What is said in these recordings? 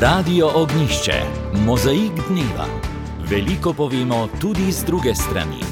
Radio Ognjišče, mozaik dneva. Veliko povemo tudi z druge strani.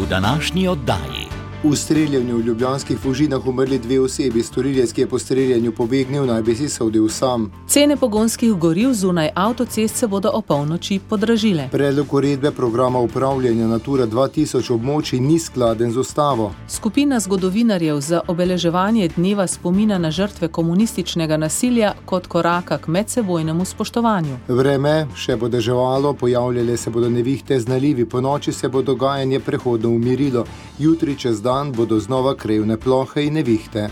V današnji oddaji. V streljanju v ljubljanskih Fužinah umrli 2 osebi, storilec, ki je po streljanju pobegnil, naj bi si sodil sam. Cene pogonskih goriv zunaj avtocest se bodo opolnoči podražile. Predlog uredbe programa upravljanja Natura 2000 območij ni skladen z ustavo. Skupina zgodovinarjev za obeleževanje dneva spomina na žrtve komunističnega nasilja kot koraka k medsebojnemu spoštovanju. Vreme še bo deževalo, pojavljale se bodo nevihte z nalivi, ponoči se bo dogajanje prehodno umirilo, jutri čez dan bodo znova krevne plohe in nevihte.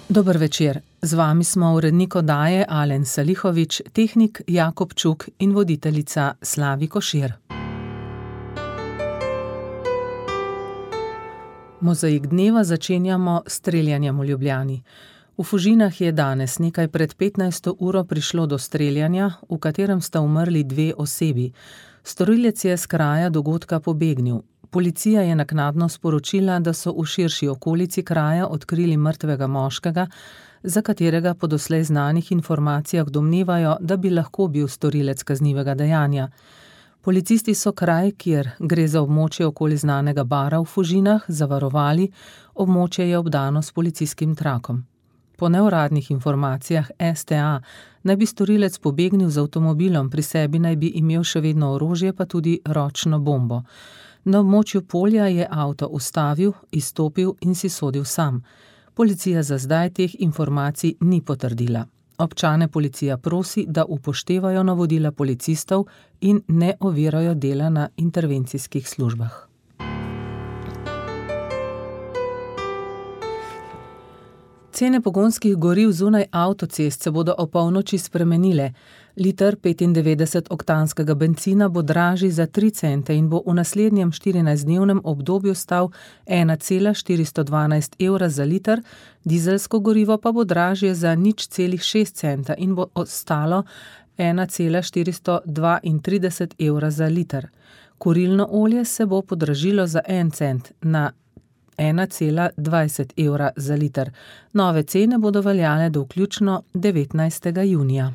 Dober večer. Z vami smo urednik oddaje Alen Salihović, tehnik Jakob Čuk in voditeljica Slavi Košir. Mozaik dneva začenjamo s streljanjem v Ljubljani. V Fužinah je danes nekaj pred 15. uro prišlo do streljanja, v katerem sta umrli 2 osebi. Storilec je s kraja dogodka pobegnil. Policija je naknadno sporočila, da so v širši okolici kraja odkrili mrtvega moškega, za katerega po doslej znanih informacijah domnevajo, da bi lahko bil storilec kaznivega dejanja. Policisti so kraj, kjer gre za območje okoli znanega bara v Fužinah, zavarovali, območje je obdano s policijskim trakom. Po neuradnih informacijah STA naj bi storilec pobegnil z avtomobilom, pri sebi naj bi imel še vedno orožje, pa tudi ročno bombo. Na območju polja je avto ustavil, izstopil in si sodil sam. Policija za zdaj teh informacij ni potrdila. Občane policija prosi, da upoštevajo navodila policistov in ne ovirajo dela na intervencijskih službah. Cene pogonskih goriv zunaj avtocest se bodo opolnoči spremenile. Liter 95-oktanskega bencina bo dražji za 3 cente in bo v naslednjem 14-dnevnem obdobju stal 1,412 evra za liter, dizelsko gorivo pa bo dražje za 0,6 centa in bo ostalo 1,432 evra za liter. Kurilno olje se bo podražilo za 1 cent na 1,20 evra za liter. Nove cene bodo veljale do vključno 19. junija.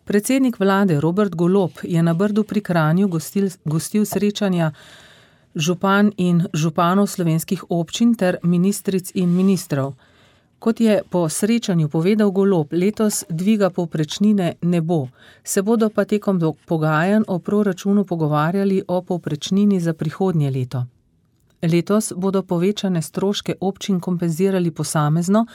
Predsednik vlade Robert Golob je na Brdu pri Kranju gostil srečanja župan in županov slovenskih občin ter ministric in ministrov. Kot je po srečanju povedal Golob, letos dviga povprečnine ne bo, se bodo pa tekom pogajanj o proračunu pogovarjali o povprečnini za prihodnje leto. Letos bodo povečane stroške občin kompenzirali posamezno,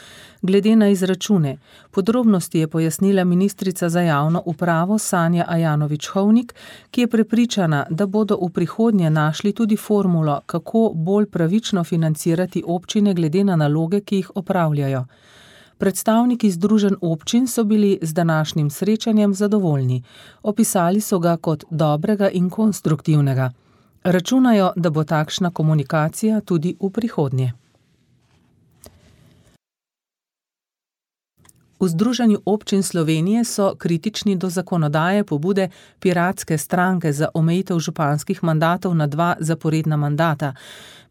glede na izračune. Podrobnosti je pojasnila ministrica za javno upravo Sanja Ajanović-Hovnik, ki je prepričana, da bodo v prihodnje našli tudi formulo, kako bolj pravično financirati občine glede na naloge, ki jih opravljajo. Predstavniki združenj občin so bili z današnjim srečanjem zadovoljni. Opisali so ga kot dobrega in konstruktivnega. Računajo, da bo takšna komunikacija tudi v prihodnje. V Združenju občin Slovenije so kritični do zakonodaje pobude Piratske stranke za omejitev županskih mandatov na 2 zaporedna mandata.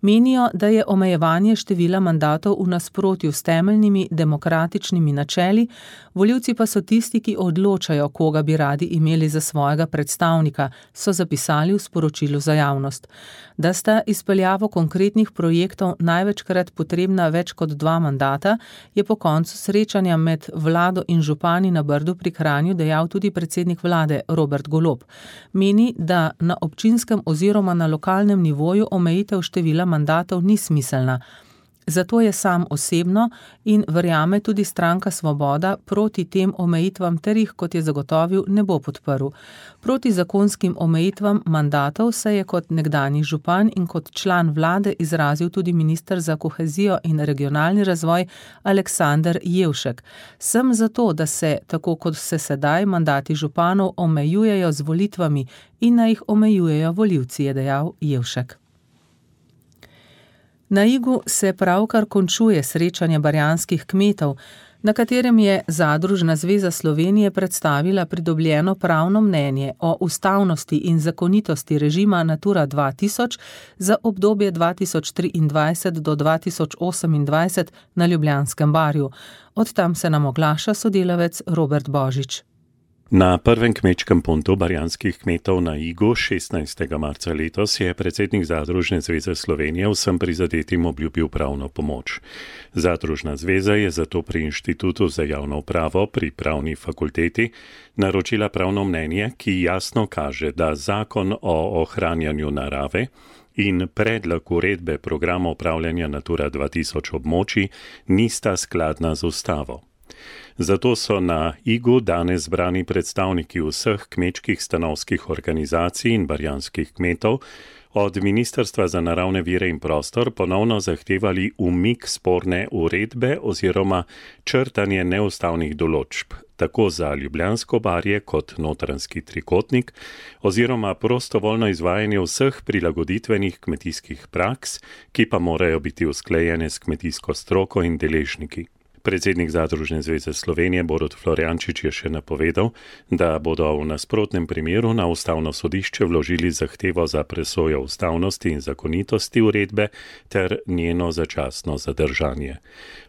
Menijo, da je omejevanje števila mandatov v nasprotju s temeljnimi demokratičnimi načeli, volivci pa so tisti, ki odločajo, koga bi radi imeli za svojega predstavnika, so zapisali v sporočilu za javnost. Da sta izpeljavo konkretnih projektov največkrat potrebna več kot 2 mandata, je po koncu srečanja med vlado in župani na Brdu pri Kranju dejal tudi predsednik vlade Robert Golob. Meni, da na občinskem oziroma na lokalnem nivoju omejitev števila mandatov ni smiselna. Zato je sam osebno in verjame tudi stranka Svoboda proti tem omejitvam ter jih, kot je zagotovil, ne bo podprl. Proti zakonskim omejitvam mandatov se je kot nekdanji župan in kot član vlade izrazil tudi minister za kohezijo in regionalni razvoj Aleksander Jevšek. Sem zato, da se, tako kot se sedaj, mandati županov omejujejo z volitvami in naj jih omejujejo volivci, je dejal Jevšek. Na Igu se pravkar končuje srečanje barjanskih kmetov. na katerem je Zadružna zveza Slovenije predstavila pridobljeno pravno mnenje o ustavnosti in zakonitosti režima Natura 2000 za obdobje 2023 do 2028 na Ljubljanskem barju. Od tam se nam oglaša sodelavec Robert Božič. Na prvem kmečkem puntu barjanskih kmetov na Igu 16. marca letos je predsednik Zadružne zveze Slovenije vsem prizadetim obljubil pravno pomoč. Zadružna zveza je zato pri Inštitutu za javno upravo pri Pravni fakulteti naročila pravno mnenje, ki jasno kaže, da zakon o ohranjanju narave in predlog uredbe programa upravljanja Natura 2000 območij nista skladna z ustavo. Zato so na Igu danes zbrani predstavniki vseh kmečkih stanovskih organizacij in barjanskih kmetov od Ministrstva za naravne vire in prostor ponovno zahtevali umik sporne uredbe oziroma črtanje neustavnih določb, tako za Ljubljansko barje kot Notranjski trikotnik, oziroma prostovoljno izvajanje vseh prilagoditvenih kmetijskih praks, ki pa morajo biti usklajene s kmetijsko stroko in deležniki. Predsednik Zadružne zveze Slovenije Borut Florjančič je še napovedal, da bodo v nasprotnem primeru na Ustavno sodišče vložili zahtevo za presojo ustavnosti in zakonitosti uredbe ter njeno začasno zadržanje.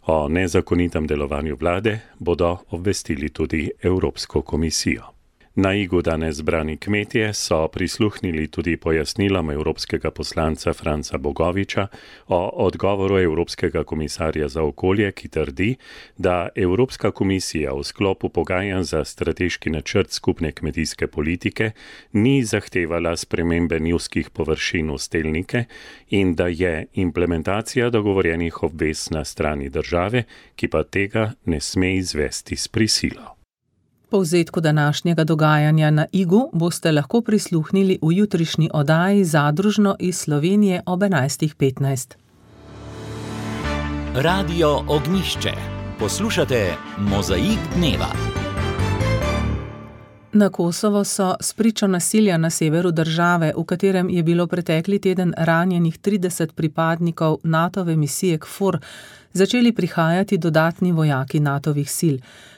O nezakonitem delovanju vlade bodo obvestili tudi Evropsko komisijo. Na Igu danes zbrani kmetje so prisluhnili tudi pojasnilom evropskega poslanca Franca Bogoviča o odgovoru Evropskega komisarja za okolje, ki trdi, da Evropska komisija v sklopu pogajanj za strateški načrt skupne kmetijske politike ni zahtevala spremembe njivskih površin v stelnike in da je implementacija dogovorjenih obvez na strani države, ki pa tega ne sme izvesti s prisilo. Povzetku današnjega dogajanja na Igu boste lahko prisluhnili v jutrišnji oddaji Zadružno iz Slovenije ob 11.15. Radio Ognjišče. Poslušate Mozaik dneva. Na Kosovo so spričo nasilja na severu države, v katerem je bilo pretekli teden ranjenih 30 pripadnikov NATO-ve misije KFOR, začeli prihajati dodatni vojaki NATO-vih sil.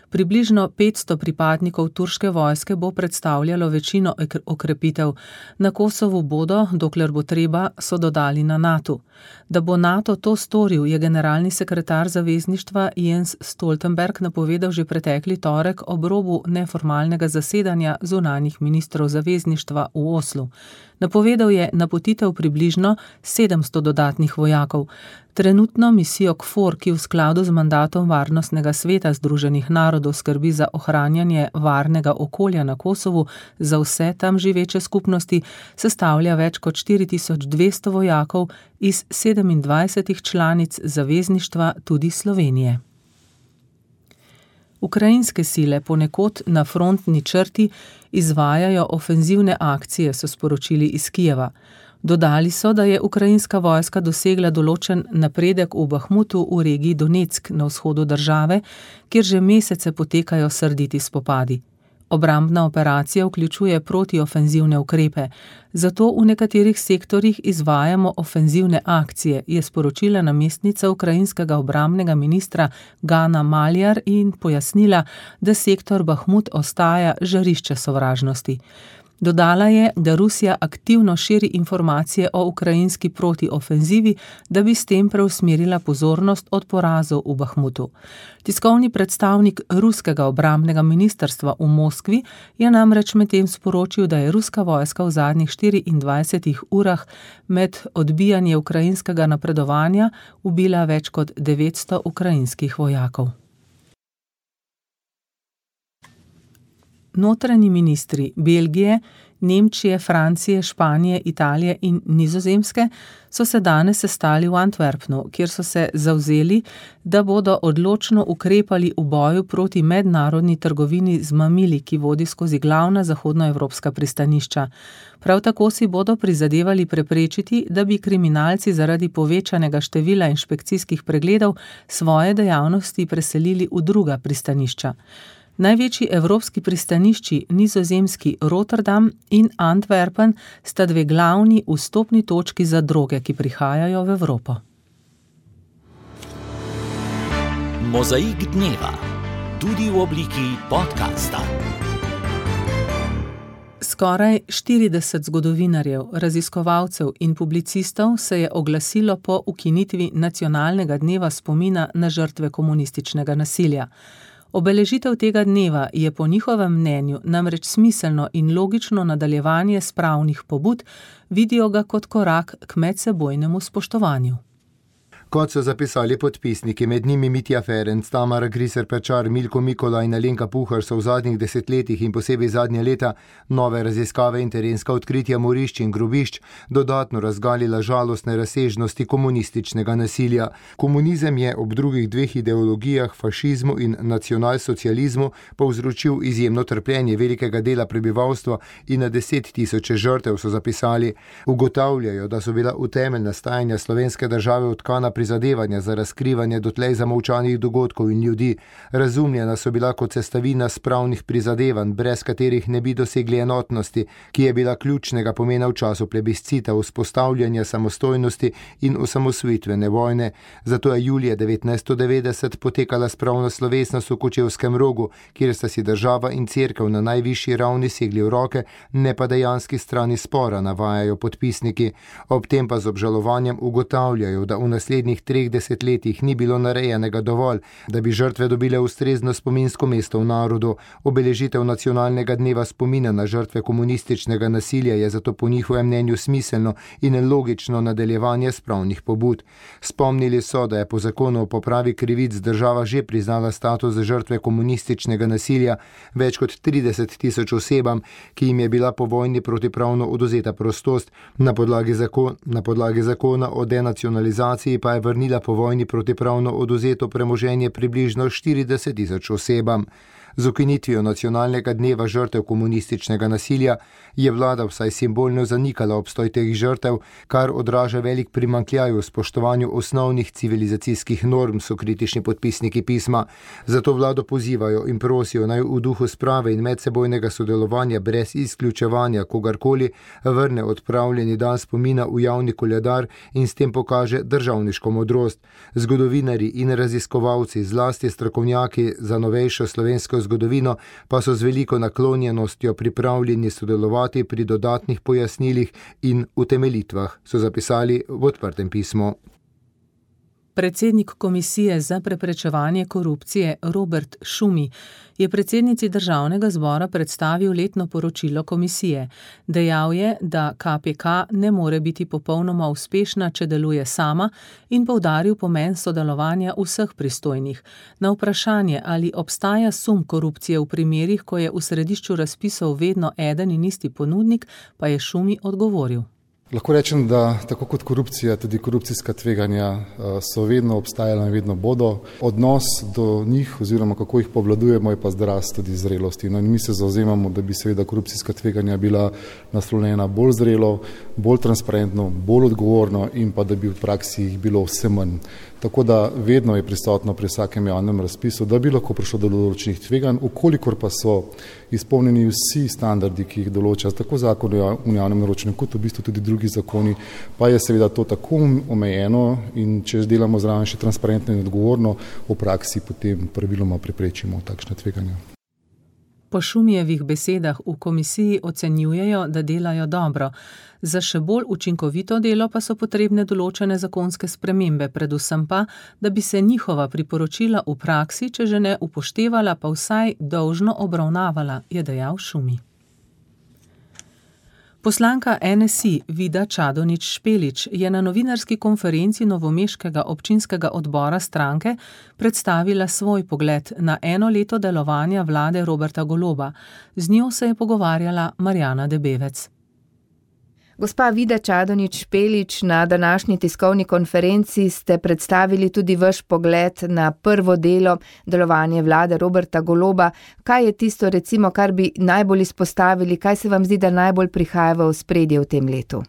Približno 500 pripadnikov turške vojske bo predstavljalo večino okrepitev. Na Kosovu bodo, dokler bo treba, so dodali na NATO. Da bo NATO to storil, je generalni sekretar zavezništva Jens Stoltenberg napovedal že pretekli torek ob robu neformalnega zasedanja zunanjih ministrov zavezništva v Oslu. Napovedal je napotitev približno 700 dodatnih vojakov. Trenutno misijo KFOR, ki v skladu z mandatom Varnostnega sveta Združenih narodov skrbi za ohranjanje varnega okolja na Kosovu za vse tam živeče skupnosti, sestavlja več kot 4200 vojakov iz 27 članic zavezništva, tudi Slovenije. Ukrajinske sile ponekod na frontni črti izvajajo ofenzivne akcije, so sporočili iz Kijeva. Dodali so, da je ukrajinska vojska dosegla določen napredek v Bahmutu v regiji Donetsk na vzhodu države, kjer že mesece potekajo srditi spopadi. Obrambna operacija vključuje protiofenzivne ukrepe, zato v nekaterih sektorjih izvajamo ofenzivne akcije, je sporočila namestnica ukrajinskega obrambnega ministra Gana Maljar in pojasnila, da sektor Bahmut ostaja žarišče sovražnosti. Dodala je, da Rusija aktivno širi informacije o ukrajinski protiofenzivi, da bi s tem preusmerila pozornost od porazov v Bahmutu. Tiskovni predstavnik ruskega obrambnega ministrstva v Moskvi je namreč medtem sporočil, da je ruska vojska v zadnjih 24 urah med odbijanje ukrajinskega napredovanja ubila več kot 900 ukrajinskih vojakov. Notranji ministri Belgije, Nemčije, Francije, Španije, Italije in Nizozemske so se danes sestali v Antwerpnu, kjer so se zavzeli, da bodo odločno ukrepali v boju proti mednarodni trgovini z mamili, ki vodi skozi glavna zahodnoevropska pristanišča. Prav tako si bodo prizadevali preprečiti, da bi kriminalci zaradi povečanega števila inšpekcijskih pregledov svoje dejavnosti preselili v druga pristanišča. Največji evropski pristanišči, nizozemski Rotterdam in Antwerpen, sta dve glavni vstopni točki za droge, ki prihajajo v Evropo. Mozaik dneva. tudi v obliki podcasta. Skoraj 40 zgodovinarjev, raziskovalcev in publicistov se je oglasilo po ukinitvi Nacionalnega dneva spomina na žrtve komunističnega nasilja. Obeležitev tega dneva je po njihovem mnenju namreč smiselno in logično nadaljevanje spravnih pobud, vidijo ga kot korak k medsebojnemu spoštovanju. Kot so zapisali podpisniki, med njimi Mitja Ferenc, Tamara Griser-Pečar, Milko Mikola in Alenka Puhar, so v zadnjih desetletjih in posebej zadnje leta nove raziskave in terenska odkritja morišč in grobišč dodatno razgalila žalostne razsežnosti komunističnega nasilja. Komunizem je ob drugih dveh ideologijah, fašizmu in nacionalsocializmu, povzročil izjemno trpljenje velikega dela prebivalstva in na 10 tisoče žrtev, so zapisali. Ugotavljajo, da so bila v temelj nastajanja slovenske države utkana prizadevanja za razkrivanje dotlej zamolčanih dogodkov in ljudi. Razumljena so bila kot sestavina spravnih prizadevanj, brez katerih ne bi dosegli enotnosti, ki je bila ključnega pomena v času plebiscita, vzpostavljanja samostojnosti in osamosvojitvene vojne. Zato je julija 1990 potekala spravna slovesnost v Kočevskem Rogu, kjer sta si država in cerkev na najvišji ravni segli v roke, ne pa dejanski strani spora, navajajo podpisniki. Ob tem pa z obžalovanjem ugotavljajo, da v naslednjih 3 desetletjih ni bilo narejenega dovolj, da bi žrtve dobile ustrezno spominsko mesto v narodu. Obeležitev Nacionalnega dneva spomina na žrtve komunističnega nasilja je zato po njihovem mnenju smiselno in logično nadaljevanje spravnih pobud. Spomnili so, da je po zakonu o popravi krivic država že priznala status žrtve komunističnega nasilja več kot 30 tisoč osebam, ki jim je bila po vojni protipravno odvzeta prostost. Na podlagi zakona o denacionalizaciji pa je vrnila po vojni protipravno odvzeto premoženje približno 40 tisoč osebam. Z ukinitvijo Nacionalnega dneva žrtev komunističnega nasilja je vlada vsaj simbolno zanikala obstoj teh žrtev, kar odraža velik primanjkljaj v spoštovanju osnovnih civilizacijskih norm, so kritični podpisniki pisma. Zato vlado pozivajo in prosijo naj v duhu sprave in medsebojnega sodelovanja brez izključevanja kogarkoli vrne odpravljeni dan spomina v javni koledar in s tem pokaže državniško modrost. Zgodovinarji in raziskovalci, zlasti strokovnjaki za novejšo slovensko zgodovino, pa so z veliko naklonjenostjo pripravljeni sodelovati pri dodatnih pojasnilih in utemeljitvah, so zapisali v odprtem pismu. Predsednik Komisije za preprečevanje korupcije Robert Šumi je predsednici Državnega zbora predstavil letno poročilo komisije. Dejal je, da KPK ne more biti popolnoma uspešna, če deluje sama, in poudaril pomen sodelovanja vseh pristojnih. Na vprašanje, ali obstaja sum korupcije v primerih, ko je v središču razpisov vedno eden in isti ponudnik, pa je Šumi odgovoril. Lahko rečem, da tako kot korupcija, tudi korupcijska tveganja so vedno obstajala in vedno bodo. Odnos do njih oziroma kako jih povladujemo je pa zrast tudi zrelosti. No, in mi se zavzemamo, da bi seveda korupcijska tveganja bila naslovljena bolj zrelo, bolj transparentno, bolj odgovorno in pa da bi v praksi jih bilo vse manj. Tako da vedno je prisotno pri vsakem javnem razpisu, da bi lahko prišlo do določenih tveganj, ukolikor pa so izpolnjeni vsi standardi, ki jih določa tako zakon o javnem naročanju, kot v bistvu tudi drugi zakoni, pa je seveda to tako omejeno in če delamo zraven še transparentno in odgovorno, v praksi potem praviloma preprečimo takšne tveganja. Po Šumijevih besedah v komisiji ocenjujejo, da delajo dobro. Za še bolj učinkovito delo pa so potrebne določene zakonske spremembe, predvsem pa, da bi se njihova priporočila v praksi, če že ne upoštevala, pa vsaj dolžno obravnavala, je dejal Šumi. Poslanka NSI Vida Čadonič Špelič je na novinarski konferenci novomeškega občinskega odbora stranke predstavila svoj pogled na 1 leto delovanja vlade Roberta Goloba. Z njo se je pogovarjala Marjana Debevec. Gospa Vida Čadonič Špelič, na današnji tiskovni konferenci ste predstavili tudi vaš pogled na prvo delo delovanja vlade Roberta Goloba. Kaj je tisto, recimo, kar bi najbolj izpostavili, kaj se vam zdi, da najbolj prihaja v ospredje v tem letu?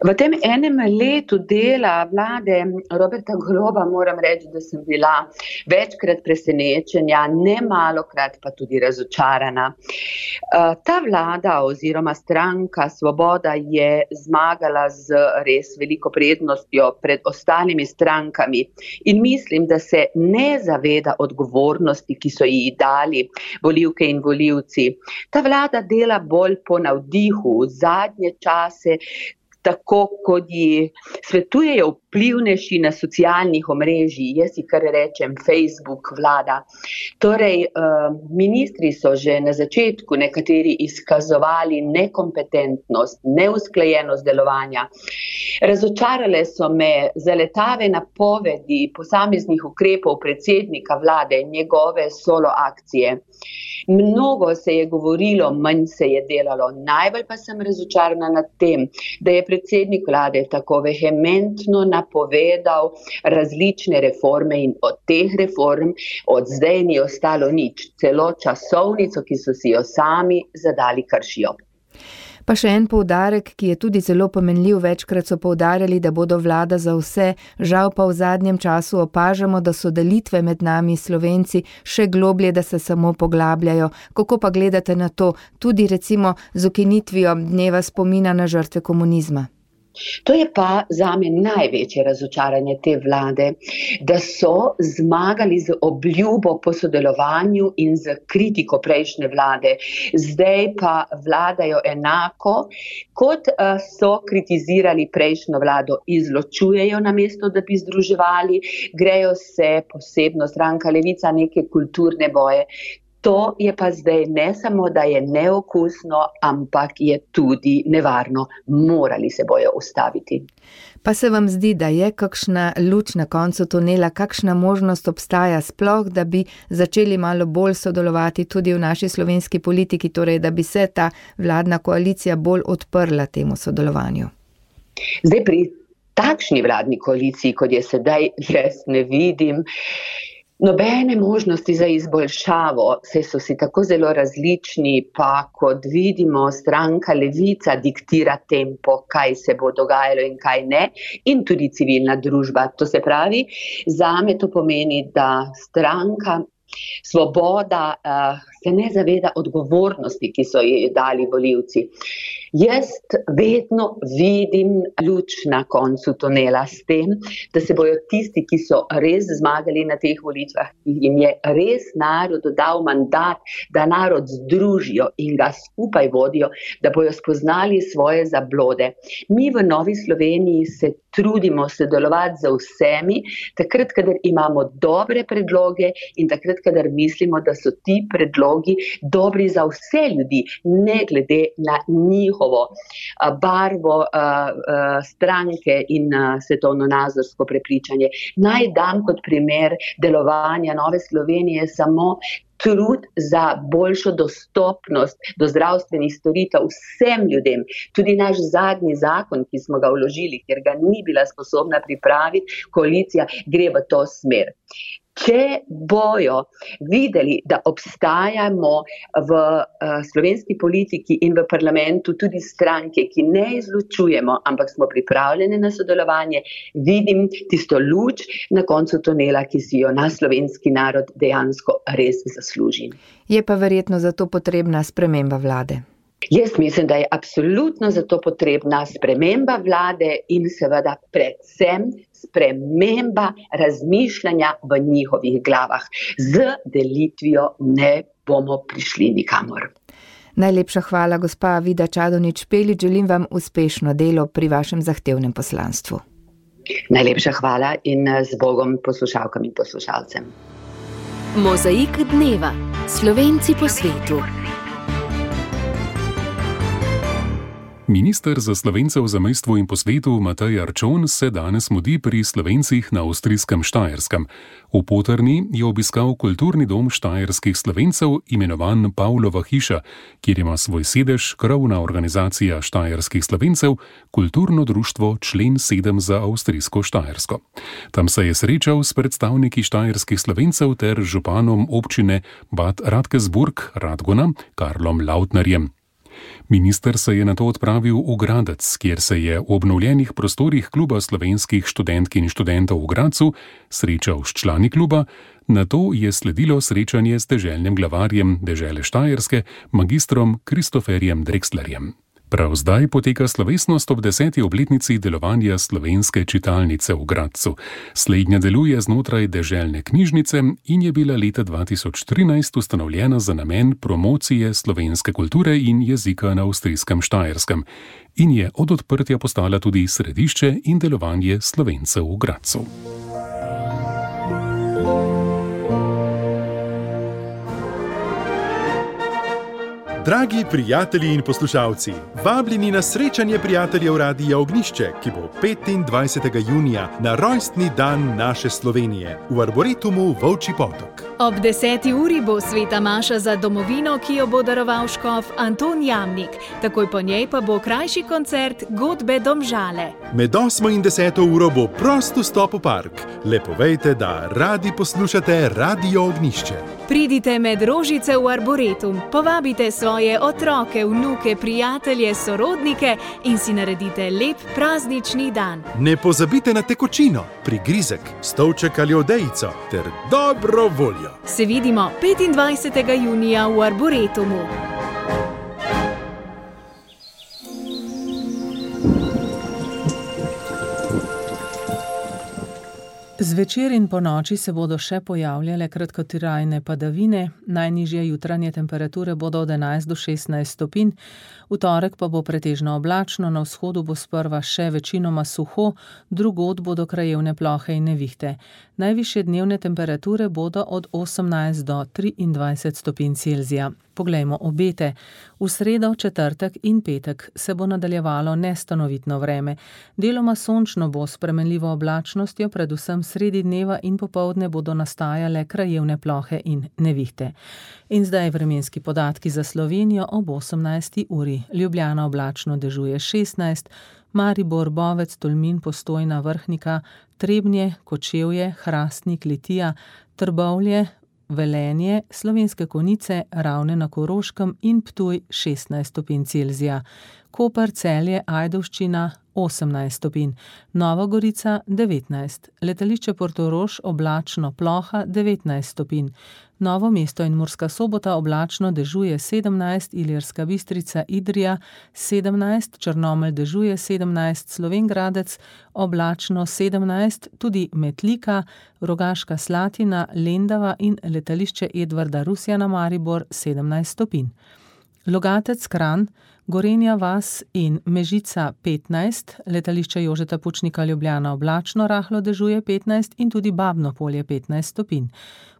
V tem enem letu dela vlade Roberta Goloba moram reči, da sem bila večkrat presenečenja, ne malokrat pa tudi razočarana. Ta vlada oziroma stranka Svoboda je zmagala z res veliko prednostjo pred ostalimi strankami in mislim, da se ne zaveda odgovornosti, ki so ji dali volivke in volivci. Ta vlada dela bolj po navdihu v zadnje čase, tako kot ji svetujejo vplivnejši na socialnih omrežjih, jaz ji kar rečem Facebook vlada. Torej, ministri so že na začetku nekateri izkazovali nekompetentnost, neusklajenost delovanja. Razočarale so me zaletave napovedi posameznih ukrepov predsednika vlade in njegove solo akcije. Mnogo se je govorilo, manj se je delalo. Najbolj pa sem razočarana nad tem, da je predsednik vlade tako vehementno napovedal različne reforme in od teh reform od zdaj ni ostalo nič. Celo časovnico, ki so si jo sami zadali, kršijo. Pa še en poudarek, ki je tudi zelo pomenljiv, večkrat so poudarjali, da bodo vlada za vse, žal pa v zadnjem času opažamo, da so delitve med nami Slovenci še globlje, da se samo poglabljajo. Kako pa gledate na to, tudi recimo z ukinitvijo dneva spomina na žrtve komunizma? To je pa zame največje razočaranje te vlade, da so zmagali z obljubo po sodelovanju in z kritiko prejšnje vlade. Zdaj pa vladajo enako, kot so kritizirali prejšnjo vlado, izločujejo namesto, da bi združevali, grejo se posebno stranka Levica neke kulturne boje. To je pa zdaj ne samo, da je neokusno, ampak je tudi nevarno. Morali se bojo ustaviti. Pa se vam zdi, da je kakšna luč na koncu tunela, kakšna možnost obstaja sploh, da bi začeli malo bolj sodelovati tudi v naši slovenski politiki, torej da bi se ta vladna koalicija bolj odprla temu sodelovanju? Zdaj pri takšni vladni koaliciji, kot je sedaj, jaz ne vidim nobene možnosti za izboljšavo, saj so si tako zelo različni, pa kot vidimo, stranka Levica diktira tempo, kaj se bo dogajalo in kaj ne, in tudi civilna družba. To se pravi, zame to pomeni, da stranka Svoboda se ne zaveda odgovornosti, ki so ji dali volivci. Jaz vedno vidim luč na koncu tunela s tem, da se bojo tisti, ki so res zmagali na teh volitvah, jim je res narod dal mandat, da narod združijo in ga skupaj vodijo, da bojo spoznali svoje zablode. Mi v Novi Sloveniji se trudimo sodelovati z vsemi, takrat, kadar imamo dobre predloge in takrat, kadar mislimo, da so ti predlogi dobri za vse ljudi, ne glede na njihovo barvo stranke in svetovnonazorsko prepričanje. Naj dam kot primer delovanja Nove Slovenije samo trud za boljšo dostopnost do zdravstvenih storitev vsem ljudem. Tudi naš zadnji zakon, ki smo ga vložili, ker ga ni bila sposobna pripraviti, koalicija gre v to smer. Če bojo videli, da obstajamo v slovenski politiki in v parlamentu tudi stranke, ki ne izločujemo, ampak smo pripravljene na sodelovanje, vidim tisto luč na koncu tunela, ki si jo naš slovenski narod dejansko res zasluži. Je pa verjetno zato potrebna sprememba vlade. Jaz mislim, da je absolutno zato potrebna sprememba vlade in seveda predvsem sprememba razmišljanja v njihovih glavah. Z delitvijo ne bomo prišli nikamor. Najlepša hvala, gospa Vida Čadonič Špelič. Želim vam uspešno delo pri vašem zahtevnem poslanstvu. Najlepša hvala in z Bogom poslušalkam in poslušalcem. Mozaik dneva. Slovenci po svetu. Minister za Slovence v zamejstvu in po svetu Matej Arčon se danes mudi pri Slovencih na avstrijskem Štajerskem. V Potrni je obiskal kulturni dom štajerskih Slovencev, imenovan Pavlova hiša, kjer ima svoj sedež krovna organizacija štajerskih Slovencev, kulturno društvo Člen 7 za avstrijsko Štajersko. Tam se je srečal s predstavniki štajerskih Slovencev ter županom občine Bad Radkersburg Radgona Karlom Lautnerjem. Minister se je nato odpravil v Gradec, kjer se je v obnovljenih prostorih Kluba slovenskih študentk in študentov v Gradcu srečal s člani kluba, nato je sledilo srečanje s deželnim glavarjem dežele Štajerske, magistrom Kristoferjem Drexlerjem. Prav zdaj poteka slovesnost ob 10. obletnici delovanja slovenske čitalnice v Gradcu. Slednja deluje znotraj deželne knjižnice in je bila leta 2013 ustanovljena za namen promocije slovenske kulture in jezika na avstrijskem Štajerskem in je od odprtja postala tudi središče in delovanje Slovencev v Gradcu. Dragi prijatelji in poslušalci, vabljeni na srečanje prijateljev Radia Ognjišče, ki bo 25. junija na rojstni dan naše Slovenije v Arboretumu Volčji Potok. Ob 10. uri bo sveta maša za domovino, ki jo bo daroval škof Anton Jamnik. Takoj po njej pa bo krajši koncert Godbe Domžale. Med 8. in 10. uro bo prost vstop v park. Le povejte, da radi poslušate Radio Ognjišče. Pridite med rožice v Arboretum, povabite svoje otroke, vnuke, prijatelje, sorodnike in si naredite lep praznični dan. Ne pozabite na tekočino, prigrizek, stolček ali odejico ter dobro voljo. Se vidimo 25. junija v Arboretumu. Zvečer in ponoči se bodo še pojavljale kratkotrajne padavine, najnižje jutranje temperature bodo od 11 do 16 stopinj, v torek pa bo pretežno oblačno, na vzhodu bo sprva še večinoma suho, drugod bodo krajevne plohe in nevihte. Najvišje dnevne temperature bodo od 18 do 23 stopinj Celzija. Poglejmo obete. V sredo, četrtek in petek se bo nadaljevalo nestanovitno vreme. Deloma sončno bo s spremenljivo oblačnostjo, predvsem sredi dneva in popoldne bodo nastajale krajevne plohe in nevihte. In zdaj vremenski podatki za Slovenijo ob 18. uri. Ljubljana oblačno, dežuje 16, Maribor, Bovec, Tolmin, Postojna, Vrhnika, Trebnje, Kočevje, Hrastnik, Litija, Trbovlje, Velenje, Slovenske Konjice, Ravne na Koroškem in Ptuj 16 stopinj Celzija. Koper, Celje, Ajdovščina 18 stopinj, Nova Gorica 19, Letališče Portorož oblačno, ploha 19 stopinj, Novo mesto in Murska Sobota oblačno, dežuje 17, Ilirska Bistrica, Idrija 17, Črnomelj dežuje 17, Slovenj Gradec oblačno 17, tudi Metlika, Rogaška Slatina, Lendava in letališče Edvarda Rusjana Maribor 17 stopinj. Logatec, Kranj, Gorenja vas in Mežica 15, letališče Jožeta Pučnika Ljubljana oblačno, rahlo dežuje 15 in tudi Babno Polje 15 stopinj.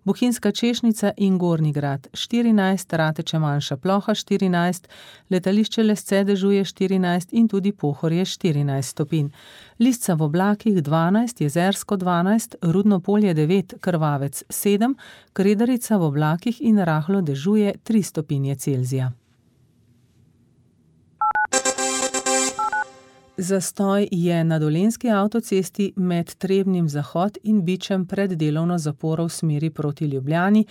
Bohinjska Češnica in Gornji Grad 14, Rateče manjša ploha 14, letališče Lesce dežuje 14 in tudi Pohorje 14 stopinj. Lisca v oblakih 12, Jezersko 12, Rudno Polje 9, Krvavec 7, Kredarica v oblakih in rahlo dežuje 3 stopinje Celzija. Zastoj je na Dolenjski avtocesti med Trebnjem zahod in Bičem pred delovno zaporo v smeri proti Ljubljani,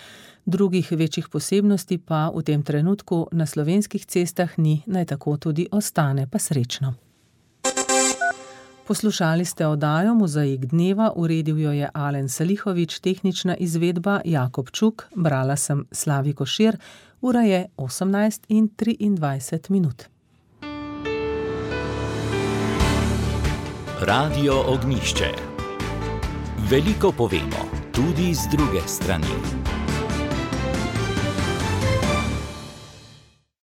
drugih večjih posebnosti pa v tem trenutku na slovenskih cestah ni, naj tako tudi ostane, pa srečno. Poslušali ste oddajo Mozaik dneva, uredil jo je Alen Salihovič, tehnična izvedba Jakob Čuk, brala sem Slavi Košir, ura je 18:23. Radio Ognjišče. Veliko povemo, tudi z druge strani.